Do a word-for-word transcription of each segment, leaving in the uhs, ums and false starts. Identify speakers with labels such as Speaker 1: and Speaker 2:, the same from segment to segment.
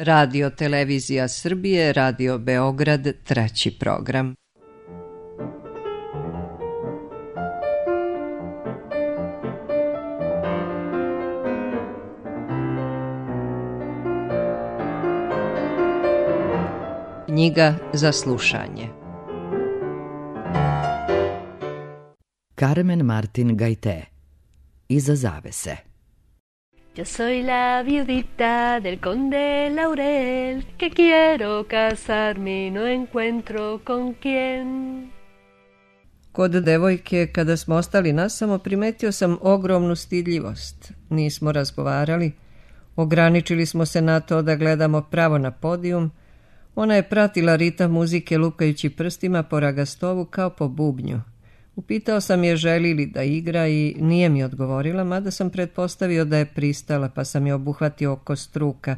Speaker 1: Radio Televizija Srbije, Radio Beograd, treći program. Knjiga za slušanje.
Speaker 2: Carmen Martin Gaité. Iza zavese.
Speaker 3: Yo soy la viudita del conde Laurel, que quiero casarme y no encuentro con quién.
Speaker 1: Kod devojke, kada smo ostali nasamo, primetio sam ogromnu stidljivost. Nismo razgovarali, ograničili smo se na to da gledamo pravo na podijum. Ona je pratila ritam muzike lukajući prstima po ragastovu kao po bubnju. Upitao sam je želi li da igra i nije mi odgovorila, mada sam pretpostavio da je pristala, pa sam je obuhvatio oko struka.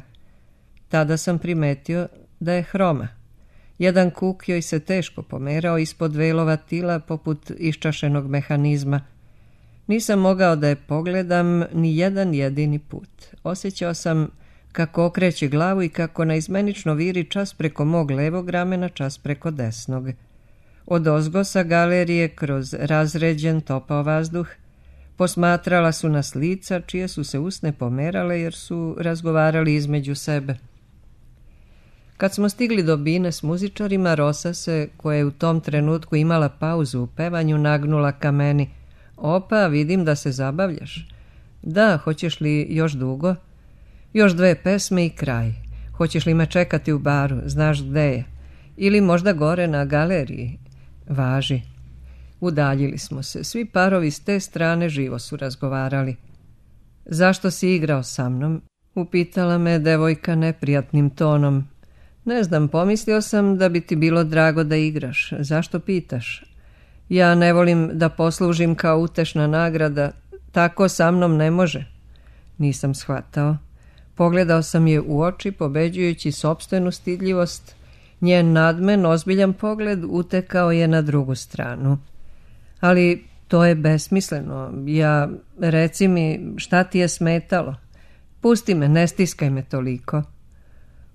Speaker 1: Tada sam primetio da je hroma. Jedan kuk joj se teško pomerao ispod velova tila poput iščašenog mehanizma. Nisam mogao da je pogledam ni jedan jedini put. Osjećao sam kako okreće glavu i kako naizmenično viri čas preko mog levog ramena, čas preko desnog. Odozgo sa galerije kroz razređen topao vazduh posmatrala su nas lica čije su se usne pomerale jer su razgovarali između sebe. Kad smo stigli do bine s muzičarima, Rosa se, koja je u tom trenutku imala pauzu u pevanju, nagnula ka meni. Opa, vidim da se zabavljaš. Da, hoćeš li još dugo? Još dve pesme i kraj. Hoćeš li me čekati u baru? Znaš gde je? Ili možda gore na galeriji? Važi. Udaljili smo se. Svi parovi s te strane živo su razgovarali. Zašto si igrao sa mnom? Upitala me devojka neprijatnim tonom. Ne znam, pomislio sam da bi ti bilo drago da igraš. Zašto pitaš? Ja ne volim da poslužim kao utešna nagrada. Tako sa mnom ne može. Nisam shvatao. Pogledao sam je u oči, pobeđujući sopstvenu stidljivost. Njen nadmen, ozbiljan pogled utekao je na drugu stranu. Ali to je besmisleno. Ja, reci mi, šta ti je smetalo? Pusti me, ne stiskaj me toliko.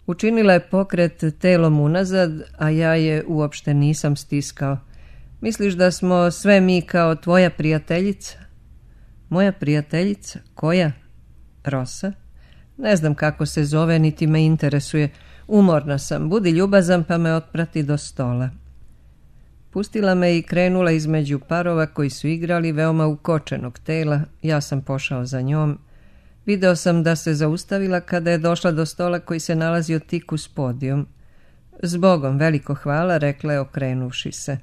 Speaker 1: Učinila je pokret telom unazad, a ja je uopšte nisam stiskao. Misliš da smo sve mi kao tvoja prijateljica? Moja prijateljica? Koja? Rosa? Ne znam kako se zove, niti me interesuje. Umorna sam, budi ljubazan pa me otprati do stola. Pustila me i krenula između parova koji su igrali veoma ukočenog tela. Ja sam pošao za njom. Video sam da se zaustavila kada je došla do stola koji se nalazio tik uz podijum. Zbogom, veliko hvala, rekla je okrenuvši se.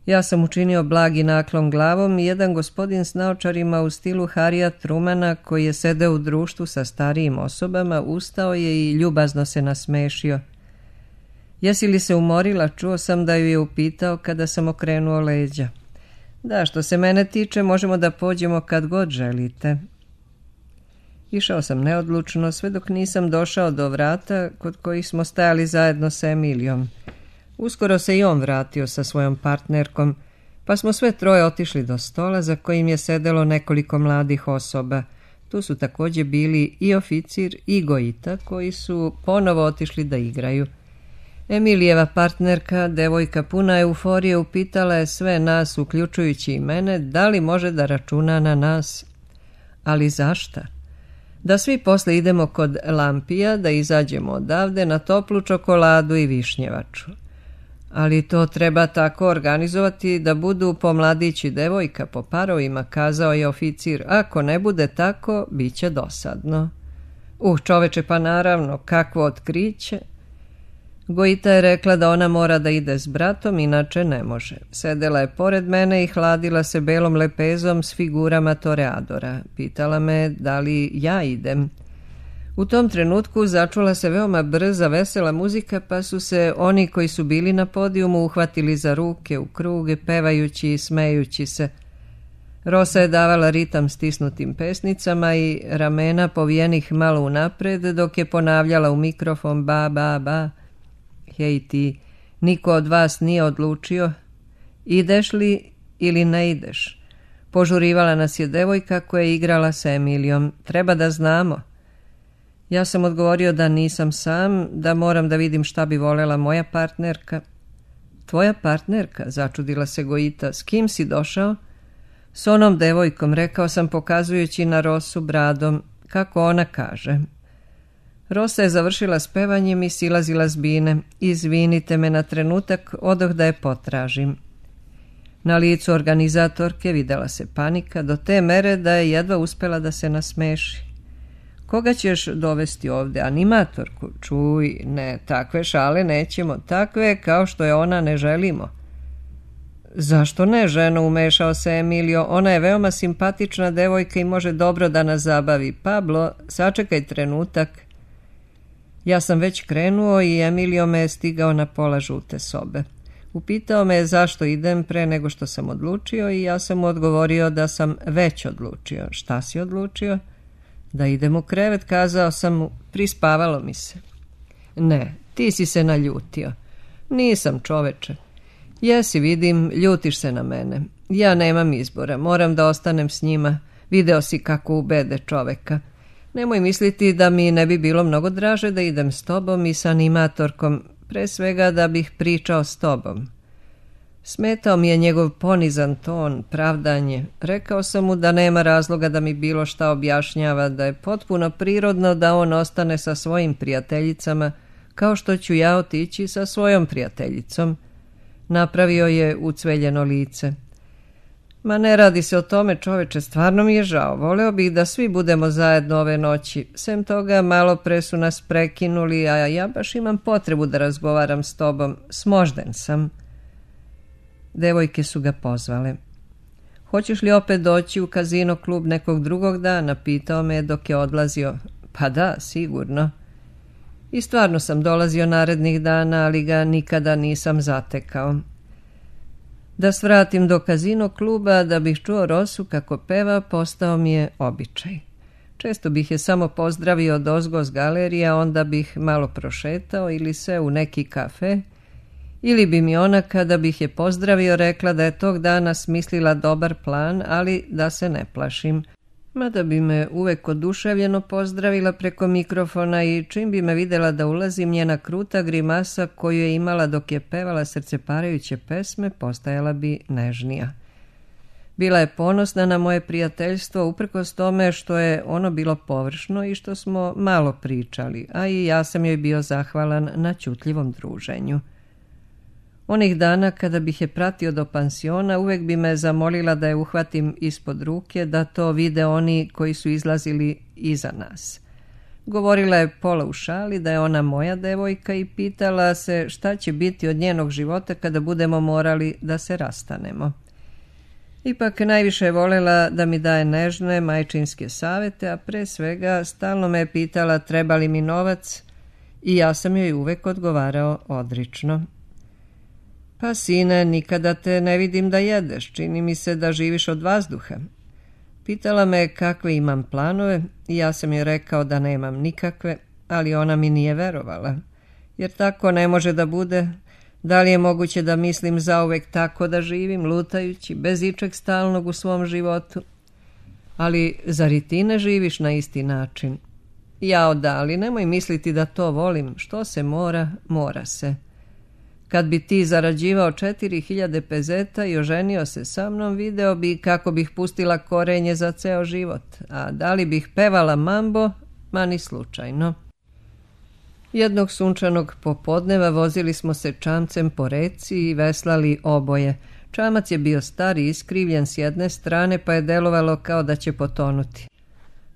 Speaker 1: Ja sam učinio blagi naklon glavom i jedan gospodin s naočarima u stilu Harija Trumana, koji je sedeo u društvu sa starijim osobama, ustao je i ljubazno se nasmešio. Jesi li se umorila? Čuo sam da ju je upitao kada sam okrenuo leđa. Da, što se mene tiče, možemo da pođemo kad god želite. Išao sam neodlučno, sve dok nisam došao do vrata kod kojih smo stajali zajedno sa Emilijom. Uskoro se i on vratio sa svojom partnerkom, pa smo sve troje otišli do stola za kojim je sedelo nekoliko mladih osoba. Tu su također bili i oficir i Goita, koji su ponovo otišli da igraju. Emilijeva partnerka, devojka puna euforije, upitala je sve nas, uključujući i mene, da li može da računa na nas. Ali zašta? Da svi posle idemo kod Lampija, da izađemo odavde na toplu čokoladu i višnjevaču. Ali to treba tako organizovati da budu pomladići devojka po parovima, kazao je oficir. Ako ne bude tako, bit će dosadno. Uh, čoveče, pa naravno, kakvo otkriće. Goita je rekla da ona mora da ide s bratom, inače ne može. Sedela je pored mene i hladila se belom lepezom s figurama toreadora. Pitala me da li ja idem. U tom trenutku začula se veoma brza, vesela muzika, pa su se oni koji su bili na podijumu uhvatili za ruke u kruge, pevajući i smejući se. Rosa je davala ritam stisnutim pesnicama i ramena povijenih malo unapred, dok je ponavljala u mikrofon ba, ba, ba. Hej ti, niko od vas nije odlučio, ideš li ili ne ideš? Požurivala nas je devojka koja je igrala sa Emilijom. Treba da znamo. Ja sam odgovorio da nisam sam, da moram da vidim šta bi volela moja partnerka. Tvoja partnerka, začudila se Gojita, s kim si došao? S onom devojkom, rekao sam pokazujući na Rosu bradom, kako ona kaže. Rosa je završila s pevanjem i silazila s bine. Izvinite me na trenutak, odoh da je potražim. Na licu organizatorke videla se panika do te mere da je jedva uspela da se nasmeši. Koga ćeš dovesti ovde? Animatorku? Čuj, ne, takve šale nećemo, takve kao što je ona ne želimo. Zašto ne, ženo, umešao se Emilio, ona je veoma simpatična devojka i može dobro da nas zabavi. Pablo, sačekaj trenutak. Ja sam već krenuo i Emilio me je stigao na pola žute sobe. Upitao me zašto idem pre nego što sam odlučio i ja sam mu odgovorio da sam već odlučio. Šta si odlučio? Da idem u krevet, kazao sam mu, prispavalo mi se. Ne, ti si se naljutio. Nisam, čoveče. Jesi, vidim, ljutiš se na mene. Ja nemam izbora, moram da ostanem s njima. Video si kako ubede čoveka. Nemoj misliti da mi ne bi bilo mnogo draže da idem s tobom i sa animatorkom, pre svega da bih pričao s tobom. Smetao mi je njegov ponizan ton, pravdanje. Rekao sam mu da nema razloga da mi bilo šta objašnjava, da je potpuno prirodno da on ostane sa svojim prijateljicama, kao što ću ja otići sa svojom prijateljicom. Napravio je ucveljeno lice. Ma ne radi se o tome, čoveče, stvarno mi je žao. Voleo bih da svi budemo zajedno ove noći. Sem toga, malo pre su nas prekinuli, a ja baš imam potrebu da razgovaram s tobom. Smožden sam. Devojke su ga pozvale. Hoćeš li opet doći u kazino klub nekog drugog dana? Pitao me dok je odlazio. Pa da, sigurno. I stvarno sam dolazio narednih dana, ali ga nikada nisam zatekao. Da svratim do kazino kluba, da bih čuo Rosu kako peva, postao mi je običaj. Često bih je samo pozdravio odozgo s galerija, onda bih malo prošetao ili se u neki kafe, ili bi mi ona, kada bih je pozdravio, rekla da je tog dana smislila dobar plan, ali da se ne plašim. Mada bi me uvek oduševljeno pozdravila preko mikrofona i čim bi me videla da ulazim, njena kruta grimasa koju je imala dok je pevala srceparajuće pesme postajala bi nežnija. Bila je ponosna na moje prijateljstvo uprkos tome što je ono bilo površno i što smo malo pričali, a i ja sam joj bio zahvalan na ćutljivom druženju. Onih dana kada bih je pratio do pansiona, uvek bi me zamolila da je uhvatim ispod ruke, da to vide oni koji su izlazili iza nas. Govorila je pola u šali da je ona moja devojka i pitala se šta će biti od njenog života kada budemo morali da se rastanemo. Ipak najviše je volela da mi daje nežne majčinske savete, a pre svega stalno me je pitala treba li mi novac i ja sam joj uvek odgovarao odrično. Pa sine, nikada te ne vidim da jedeš, čini mi se da živiš od vazduha. Pitala me kakve imam planove i ja sam joj rekao da nemam nikakve, ali ona mi nije verovala. Jer tako ne može da bude. Da li je moguće da mislim zauvek tako da živim, lutajući, bez ičeg stalnog u svom životu? Ali zar i ti ne živiš na isti način? Jao da, ali nemoj misliti da to volim. Što se mora, mora se. Kad bi ti zarađivao četiri hiljade pezeta i oženio se sa mnom, video bi kako bih pustila korenje za ceo život. A da li bih pevala mambo? Ma ni slučajno. Jednog sunčanog popodneva vozili smo se čamcem po reci i veslali oboje. Čamac je bio star i iskrivljen s jedne strane, pa je delovalo kao da će potonuti.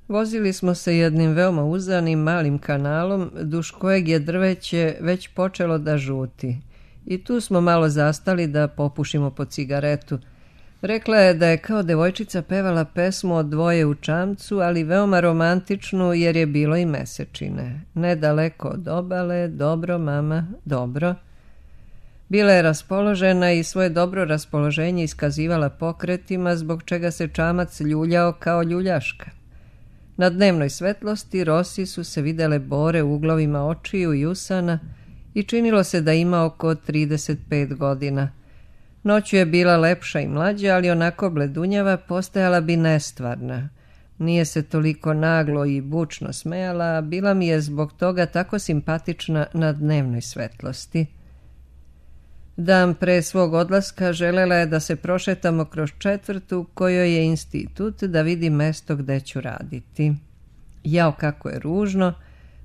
Speaker 1: Vozili smo se jednim veoma uzanim malim kanalom, duž kojeg je drveće već počelo da žuti. I tu smo malo zastali da popušimo po cigaretu. Rekla je da je kao devojčica pevala pesmu o dvoje u čamcu, ali veoma romantičnu jer je bilo i mesečine. Nedaleko od obale, dobro mama, dobro. Bila je raspoložena i svoje dobro raspoloženje iskazivala pokretima, zbog čega se čamac ljuljao kao ljuljaška. Na dnevnoj svetlosti Rosi su se videle bore u uglovima očiju i usana i činilo se da ima oko trideset pet godina. Noću je bila lepša i mlađa, ali onako bledunjava, postajala bi nestvarna. Nije se toliko naglo i bučno smejala, a bila mi je zbog toga tako simpatična na dnevnoj svetlosti. Dan pre svog odlaska želela je da se prošetamo kroz četvrtu kojoj je institut, da vidi mesto gde ću raditi. Jao, kako je ružno,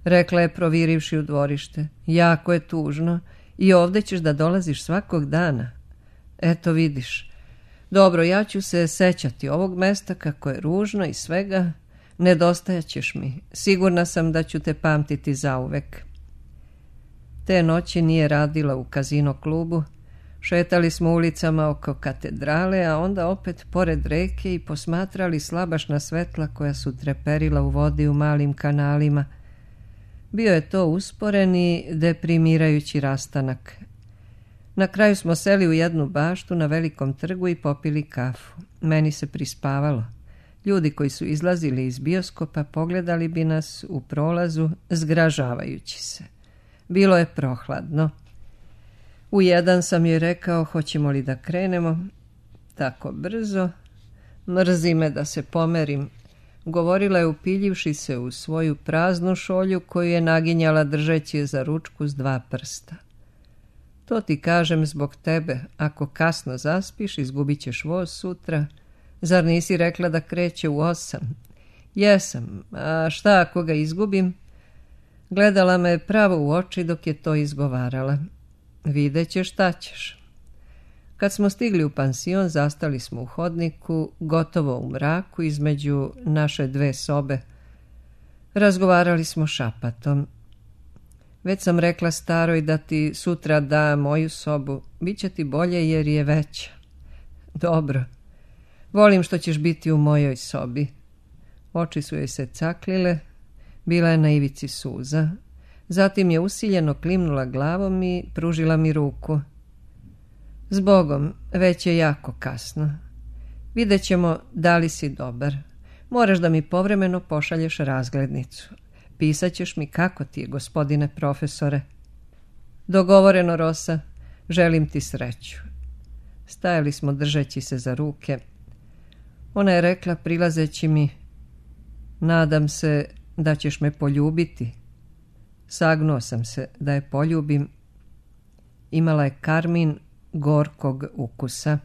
Speaker 1: rekla je provirivši u dvorište. Jako je tužno i ovde ćeš da dolaziš svakog dana. Eto vidiš. Dobro, ja ću se sećati ovog mesta kako je ružno i svega. Nedostajaćeš mi. Sigurna sam da ću te pamtiti zauvek. Te noći nije radila u kazino klubu. Šetali smo ulicama oko katedrale, a onda opet pored reke i posmatrali slabašna svetla koja su treperila u vodi u malim kanalima. Bio je to usporen i deprimirajući rastanak. Na kraju smo seli u jednu baštu na velikom trgu i popili kafu. Meni se prispavalo. Ljudi koji su izlazili iz bioskopa pogledali bi nas u prolazu, zgražavajući se. Bilo je prohladno. U jedan sam joj rekao, hoćemo li da krenemo? Tako brzo. Mrzi me da se pomerim. Govorila je upiljivši se u svoju praznu šolju koju je naginjala držeći je za ručku s dva prsta. To ti kažem zbog tebe. Ako kasno zaspiš, izgubit ćeš voz sutra. Zar nisi rekla da kreće u osam? Jesam. A šta ako ga izgubim? Gledala me pravo u oči dok je to izgovarala. Vidjet ćeš šta ćeš. Kad smo stigli u pansion, zastali smo u hodniku, gotovo u mraku između naše dve sobe. Razgovarali smo šapatom. Već sam rekla staroj da ti sutra da moju sobu. Biće ti bolje jer je veća. Dobro. Volim što ćeš biti u mojoj sobi. Oči su joj se caklile. Bila je na ivici suza. Zatim je usiljeno klimnula glavom i pružila mi ruku. Zbogom, već je jako kasno. Vidjet ćemo da li si dobar. Moraš da mi povremeno pošalješ razglednicu. Pisat ćeš mi kako ti je, gospodine profesore. Dogovoreno, Rosa. Želim ti sreću. Stajali smo držeći se za ruke. Ona je rekla prilazeći mi, nadam se da ćeš me poljubiti. Sagnuo sam se da je poljubim. Imala je karmin gorkog ukusa.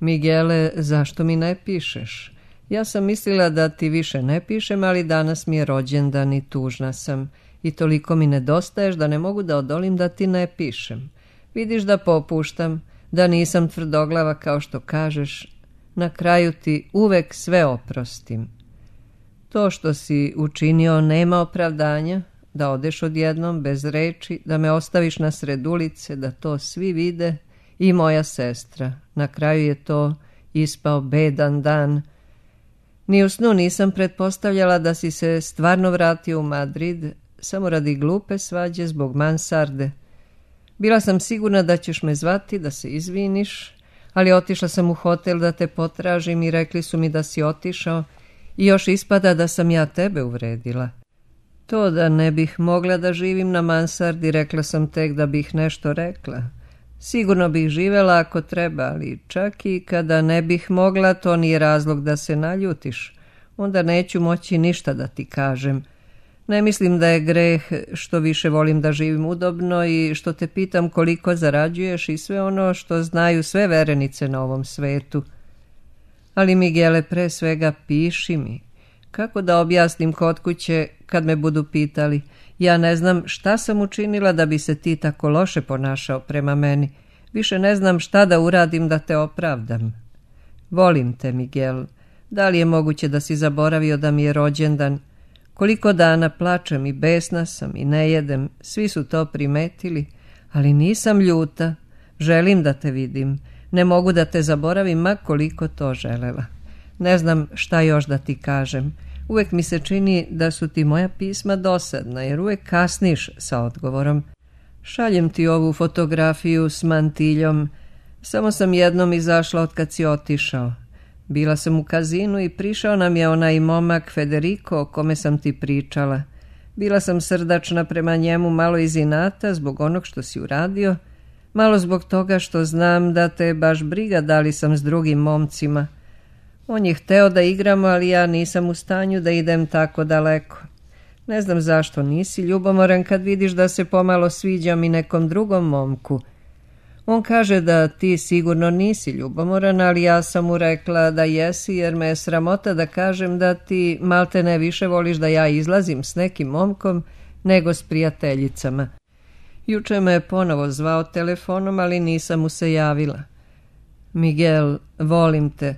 Speaker 1: Miguele, zašto mi ne pišeš? Ja sam mislila da ti više ne pišem, ali danas mi je rođendan i tužna sam. I toliko mi nedostaješ da ne mogu da odolim da ti ne pišem. Vidiš da popuštam, da nisam tvrdoglava kao što kažeš. Na kraju ti uvek sve oprostim. To što si učinio nema opravdanja, da odeš odjednom bez reči, da me ostaviš na sred ulice, da to svi vide i moja sestra. Na kraju je to ispao bedan dan. Ni u snu nisam pretpostavljala da si se stvarno vratio u Madrid, samo radi glupe svađe zbog mansarde. Bila sam sigurna da ćeš me zvati, da se izviniš, ali otišla sam u hotel da te potražim i rekli su mi da si otišao i još ispada da sam ja tebe uvredila. To da ne bih mogla da živim na mansardi, rekla sam tek da bih nešto rekla. Sigurno bih živela ako treba, ali čak i kada ne bih mogla, to nije razlog da se naljutiš. Onda neću moći ništa da ti kažem. Ne mislim da je greh što više volim da živim udobno i što te pitam koliko zarađuješ i sve ono što znaju sve verenice na ovom svetu. Ali Miguele, pre svega piši mi. Kako da objasnim kod kuće kad me budu pitali? Ja ne znam šta sam učinila da bi se ti tako loše ponašao prema meni. Više ne znam šta da uradim da te opravdam. Volim te, Miguel. Da li je moguće da si zaboravio da mi je rođendan? Koliko dana plačem i besna sam i ne jedem. Svi su to primetili, ali nisam ljuta. Želim da te vidim. Ne mogu da te zaboravim, ma koliko to želela. Ne znam šta još da ti kažem. Uvek mi se čini da su ti moja pisma dosadna, jer uvek kasniš sa odgovorom. Šaljem ti ovu fotografiju s mantiljom. Samo sam jednom izašla od kad si otišao. Bila sam u kazinu i prišao nam je onaj momak Federico o kome sam ti pričala. Bila sam srdačna prema njemu, malo iz inata zbog onog što si uradio, malo zbog toga što znam da te baš briga da li sam s drugim momcima. On je hteo da igramo, ali ja nisam u stanju da idem tako daleko. Ne znam zašto nisi ljubomoran kad vidiš da se pomalo sviđam i nekom drugom momku. On kaže da ti sigurno nisi ljubomoran, ali ja sam mu rekla da jesi, jer me je sramota da kažem da ti malte ne više voliš da ja izlazim s nekim momkom nego s prijateljicama. Juče me je ponovo zvao telefonom, ali nisam mu se javila. Miguel, volim te.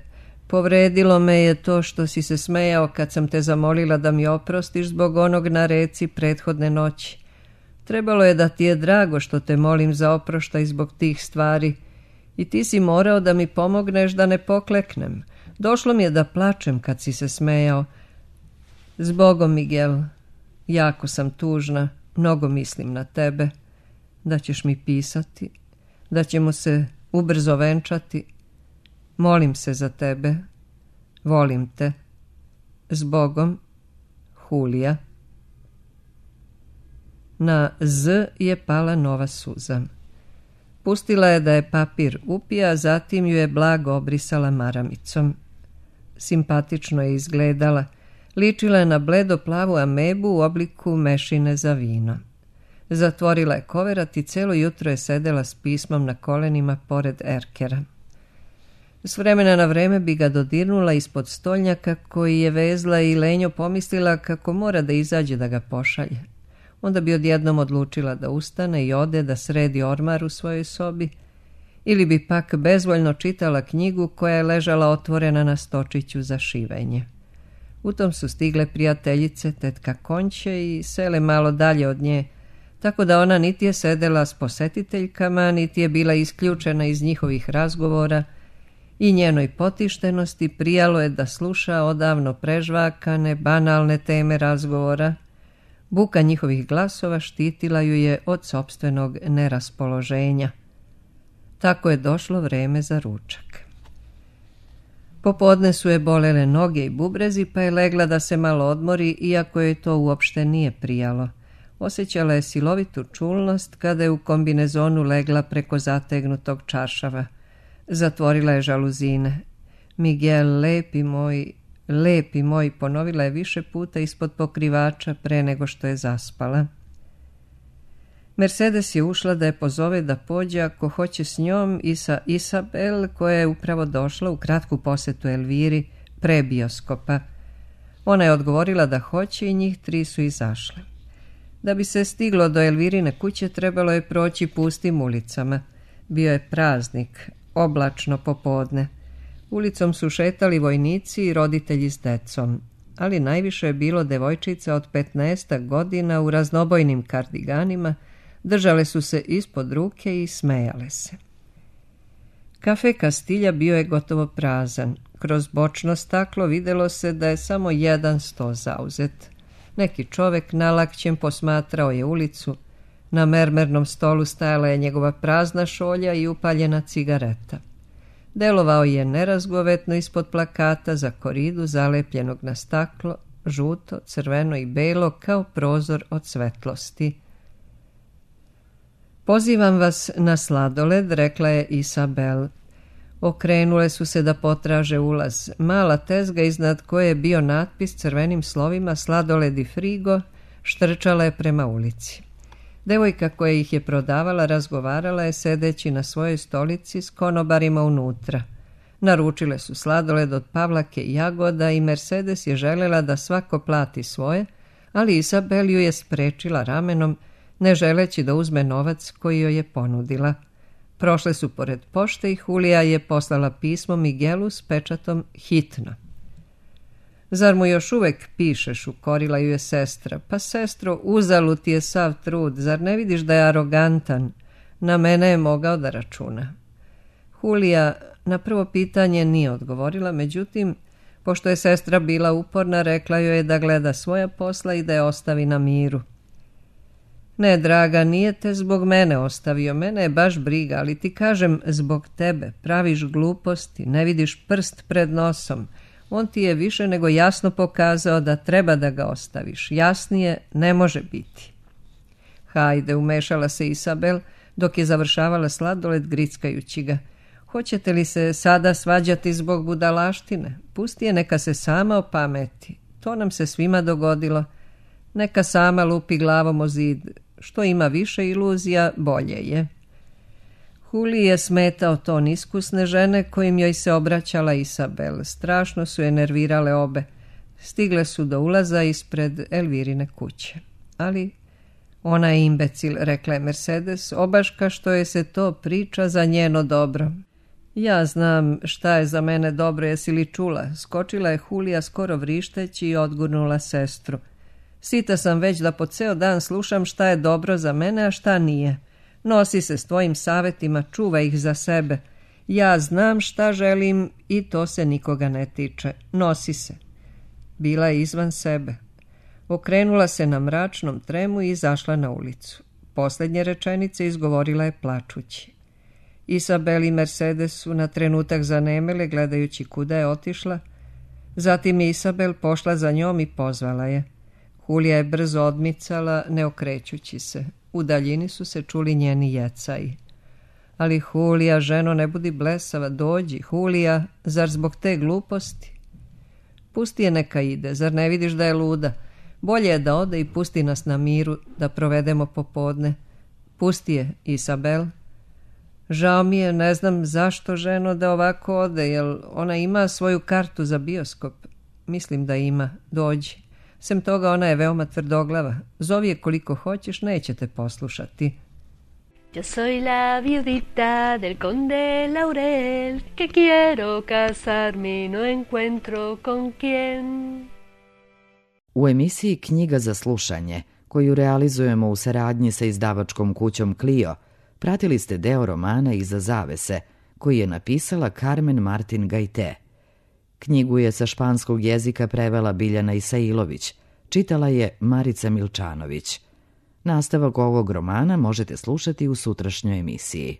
Speaker 1: Povredilo me je to što si se smejao kad sam te zamolila da mi oprostiš zbog onog na reci prethodne noći. Trebalo je da ti je drago što te molim za oproštaj zbog tih stvari i ti si morao da mi pomogneš da ne pokleknem. Došlo mi je da plačem kad si se smejao. Zbogom, Miguel, jako sam tužna, mnogo mislim na tebe, da ćeš mi pisati, da ćemo se ubrzo venčati. Molim se za tebe, volim te. Zbogom, Julija. Na Z je pala nova suza. Pustila je da je papir upija, a zatim ju je blago obrisala maramicom. Simpatično je izgledala. Ličila je na bledo plavu amebu u obliku mešine za vino. Zatvorila je koverat i celo jutro je sedela s pismom na kolenima pored erkera. S vremena na vreme bi ga dodirnula ispod stolnjaka koji je vezla i lenjo pomislila kako mora da izađe da ga pošalje. Onda bi odjednom odlučila da ustane i ode da sredi ormar u svojoj sobi, ili bi pak bezvoljno čitala knjigu koja je ležala otvorena na stočiću za šivenje. U tom su stigle prijateljice, tetka Konće, i sele malo dalje od nje, tako da ona niti je sedela s posetiteljkama, niti je bila isključena iz njihovih razgovora, i njenoj potištenosti prijalo je da sluša odavno prežvakane, banalne teme razgovora. Buka njihovih glasova štitila ju je od sopstvenog neraspoloženja. Tako je došlo vreme za ručak. Popodne su je bolele noge i bubrezi, pa je legla da se malo odmori, iako joj to uopšte nije prijalo. Osjećala je silovitu čulnost kada je u kombinezonu legla preko zategnutog čaršava. Zatvorila je žaluzine. Miguel, lepi moj, lepi moj, ponovila je više puta ispod pokrivača pre nego što je zaspala. Mercedes je ušla da je pozove da pođe ako hoće s njom i sa Isabel, koja je upravo došla u kratku posetu Elviri pre bioskopa. Ona je odgovorila da hoće i njih tri su izašle. Da bi se stiglo do Elvirine kuće trebalo je proći pustim ulicama. Bio je praznik, oblačno popodne. Ulicom su šetali vojnici i roditelji s decom, ali najviše je bilo devojčica od petnaestak godina u raznobojnim kardiganima, držale su se ispod ruke i smejale se. Kafe Kastilja bio je gotovo prazan. Kroz bočno staklo videlo se da je samo jedan sto zauzet. Neki čovek nalakćem posmatrao je ulicu. Na mermernom stolu stajala je njegova prazna šolja i upaljena cigareta. Delovao je nerazgovetno ispod plakata za koridu zalepljenog na staklo, žuto, crveno i belo kao prozor od svetlosti. Pozivam vas na sladoled, rekla je Isabel. Okrenule su se da potraže ulaz. Mala tezga iznad koje je bio natpis crvenim slovima sladoled i frigo štrčala je prema ulici. Devojka koja ih je prodavala razgovarala je sedeći na svojoj stolici s konobarima unutra. Naručile su sladoled od Pavlake i jagoda i Mercedes je želela da svako plati svoje, ali Isabel ju je sprečila ramenom, ne želeći da uzme novac koji joj je ponudila. Prošle su pored pošte i Julija je poslala pismo Miguelu s pečatom hitno. Zar mu još uvek pišeš, ukorila ju je sestra. Pa sestro, uzalud ti je sav trud, zar ne vidiš da je arogantan? Na mene je mogao da računa. Julija na prvo pitanje nije odgovorila, međutim, pošto je sestra bila uporna, rekla joj je da gleda svoja posla i da je ostavi na miru. Ne, draga, nije te zbog mene ostavio, mene je baš briga, ali ti kažem zbog tebe, praviš gluposti, ne vidiš prst pred nosom. On ti je više nego jasno pokazao da treba da ga ostaviš. Jasnije ne može biti. Hajde, umešala se Isabel dok je završavala sladoled grickajući ga. Hoćete li se sada svađati zbog budalaštine? Pusti je, neka se sama opameti. To nam se svima dogodilo. Neka sama lupi glavom o zid. Što ima više iluzija, bolje je. Huli je smetao ton iskusne žene kojim joj se obraćala Isabel. Strašno su je nervirale obe. Stigle su do ulaza ispred Elvirine kuće. Ali ona je imbecil, rekla je Mercedes, obaška što je se to priča za njeno dobro. Ja znam šta je za mene dobro, jesi li čula? Skočila je Hulija skoro vrišteći i odgurnula sestru. Sita sam već da po ceo dan slušam šta je dobro za mene, a šta nije. Nosi se s tvojim savjetima, čuvaj ih za sebe. Ja znam šta želim i to se nikoga ne tiče. Nosi se. Bila je izvan sebe. Okrenula se na mračnom tremu i izašla na ulicu. Posljednje rečenice izgovorila je plačući. Isabel i Mercedes su na trenutak zanemele gledajući kuda je otišla. Zatim je Isabel pošla za njom i pozvala je. Hulija je brzo odmicala, ne okrećući se. U daljini su se čuli njeni jecaji. Ali Hulija, ženo, ne budi blesava, dođi, Hulija, zar zbog te gluposti? Pusti je, neka ide, zar ne vidiš da je luda? Bolje je da ode i pusti nas na miru, da provedemo popodne. Pusti je, Isabel. Žao mi je, ne znam zašto, ženo, da ovako ode, jel ona ima svoju kartu za bioskop? Mislim da ima, dođi. Sem toga ona je veoma tvrdoglava. Zovi je koliko hoćeš, neće te poslušati.
Speaker 3: Yo soy la viudita del conde Laurel, que quiero casarme y no encuentro con quién.
Speaker 2: U emisiji Knjiga za slušanje, koju realizujemo u saradnji sa izdavačkom kućom Clio, pratili ste deo romana Iza zavese, koji je napisala Carmen Martin Gajte. Knjigu je sa španskog jezika prevela Biljana Isailović, čitala je Marica Milčanović. Nastavak ovog romana možete slušati u sutrašnjoj emisiji.